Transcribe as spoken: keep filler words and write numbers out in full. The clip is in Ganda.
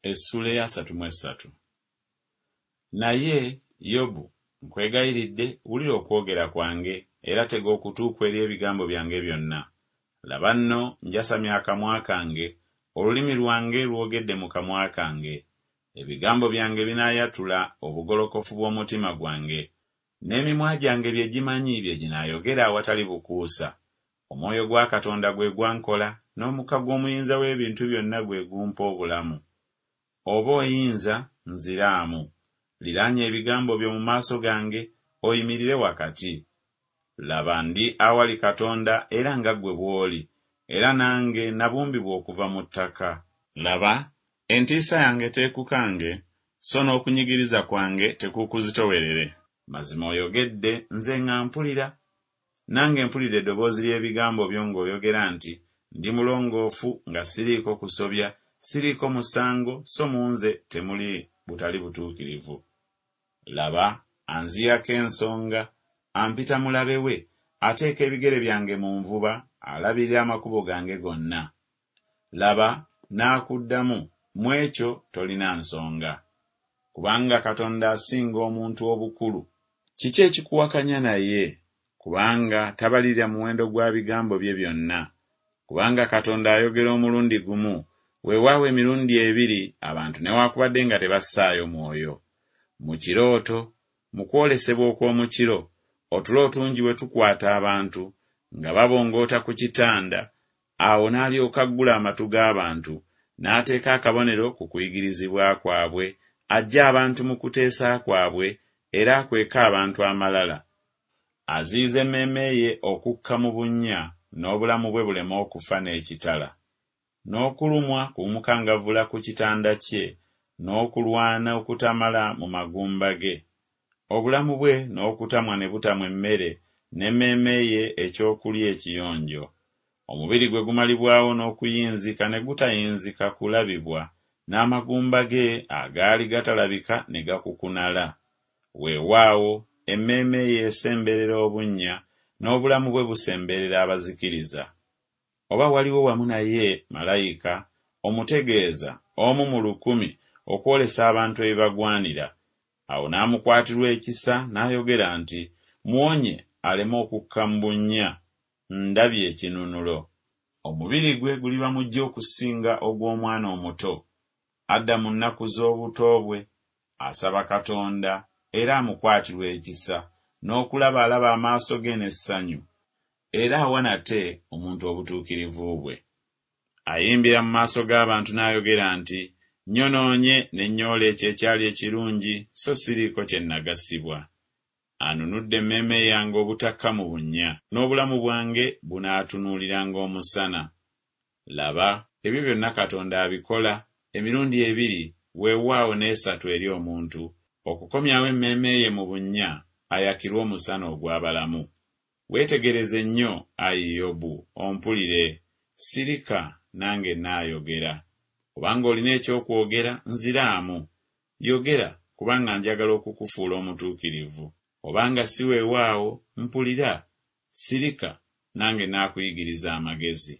Essuula ey'asatu mu essatu. Naye, Yobu, nkwegayiridde wulira okwogera kwange, era tega okutu kwo eri ebigambo byange byonna. Laba nno, njasamya akamwa kange, olulimi lwange lwogedde mu kamwa kange. Ebigambo byange binaayatula obugolokofu bw'omutima gwange, n'emimwa gyange bye gimanyi bye ginaayogera awatali bukuusa. Omwoyo gwa Katonda gwe gwankola, n'omukka gw'Omuyinza w'ebintu byonna gwe gumpa obulamu. Oba oyinza, nziraamu, liraanya ebigambo byo mu maaso gange, oyimirire wakati. Laba, ndi awali Katonda era nga ggwe bw'oli, era nange nabumbibwa okuva mu ttaka. Laba, entiisa yange teekukange, so n'okunyigiriza kwange tekuukuzitowerere. Mazima oyogedde, nze nga mpulira, nange mpulidde eddoboozi ly'ebigambo byo ng'oyogera nti Ndi mulongoofu nga siriiko kusobya, siriiko musango, so mu nze temuli butali butuukirivu. Laba, anziyako ensonga, ampita mulabe we, ateeka ebigere byange mu nvuba, alabirira amakubo gange gonna. Laba, naakuddamu, mu ekyo tolina nsonga. Kubanga Katonda asinga omuntu obukulu. Kiki ekikuwakanya naye? Kubanga tabalirira muwendo gwa bigambo bye byonna. Kubanga Katonda ayogera omulundi gumu, weewaawo emirundi ebiri, abantu newakubadde nga tebassaayo mwoyo. Mu kirooto, mu kwolesebwa okw'omu kiro, otulo otungi bwe tukwata abantu, nga babongoota ku kitanda, awo n'alyoka aggula amatu g'abantu, n'ateeka akabonero ku kuyigirizibwa kwabwe, aggye abantu mu kuteesa kwabwe, era akweke abantu amalala. Aziyiza emmeeme ye okukka mu bunnya, n'obulamu bwe buleme okufa n'ekitala. N'okulumwa kumukangavvula ku kitanda kye, n'okulwana okutamala mu magumba ge. Obulamu bwe n'okutamwa ne butamwa emmere, n'emmeeme ye ekyokulya ekiyonjo. Omubiri gwe gumalibwawo n'okuyinzika ne gutayinzika kulabibwa, n'amagumba ge agaali gatalabika ne gakukunala. Weewaawo, emmeeme ye esemberera obunnya, n'obulamu bwe busemberera abazikiriza. Oba waliwo wamu naye malayika, omutegeeza, omu mu lukumi, okwolesa abantu ebibagwanira. Awo n'amukwatirwa ekisa n'ayogera nti Muwonye aleme okukka mu bunnya, ndabye ekinunulo. Omubiri gwe guliba muggya okusinga ogw'omwana omuto, adda mu nnaku z'obuto bwe, asaba Katonda, era amukwatirwa ekisa, n'okulaba alaba amaaso ge n'essanyu, era awa nate omuntu obutuukirivu bwe. Ayimbira mu maaso g'abantu n'ayogera nti Nnyonoonye ne nnyoola ekyo ekyali ekirungi, so siriiko kye nnagasibwa. Anunudde emmeeme yange obutakka mu bunnya, n'obulamu bwange bunaatunuuliranga omusana. Laba, ebyo byonna Katonda abikola, emirundi ebiri, weewaawo n'esatu eri omuntu, okukomyawo emmeeme ye mu bunnya, ayakirwe omusana ogw'abalamu. Weetegereze nnyo, ayi Yobu, ompulire, sirika, nange nnaayogera. Obanga olina eky'okwogera, nziraamu, yogera, kubanga njagala okukufuula omutuukirivu. Obanga si weewaawo, mpulira, sirika, nange naakuyigiriza amagezi.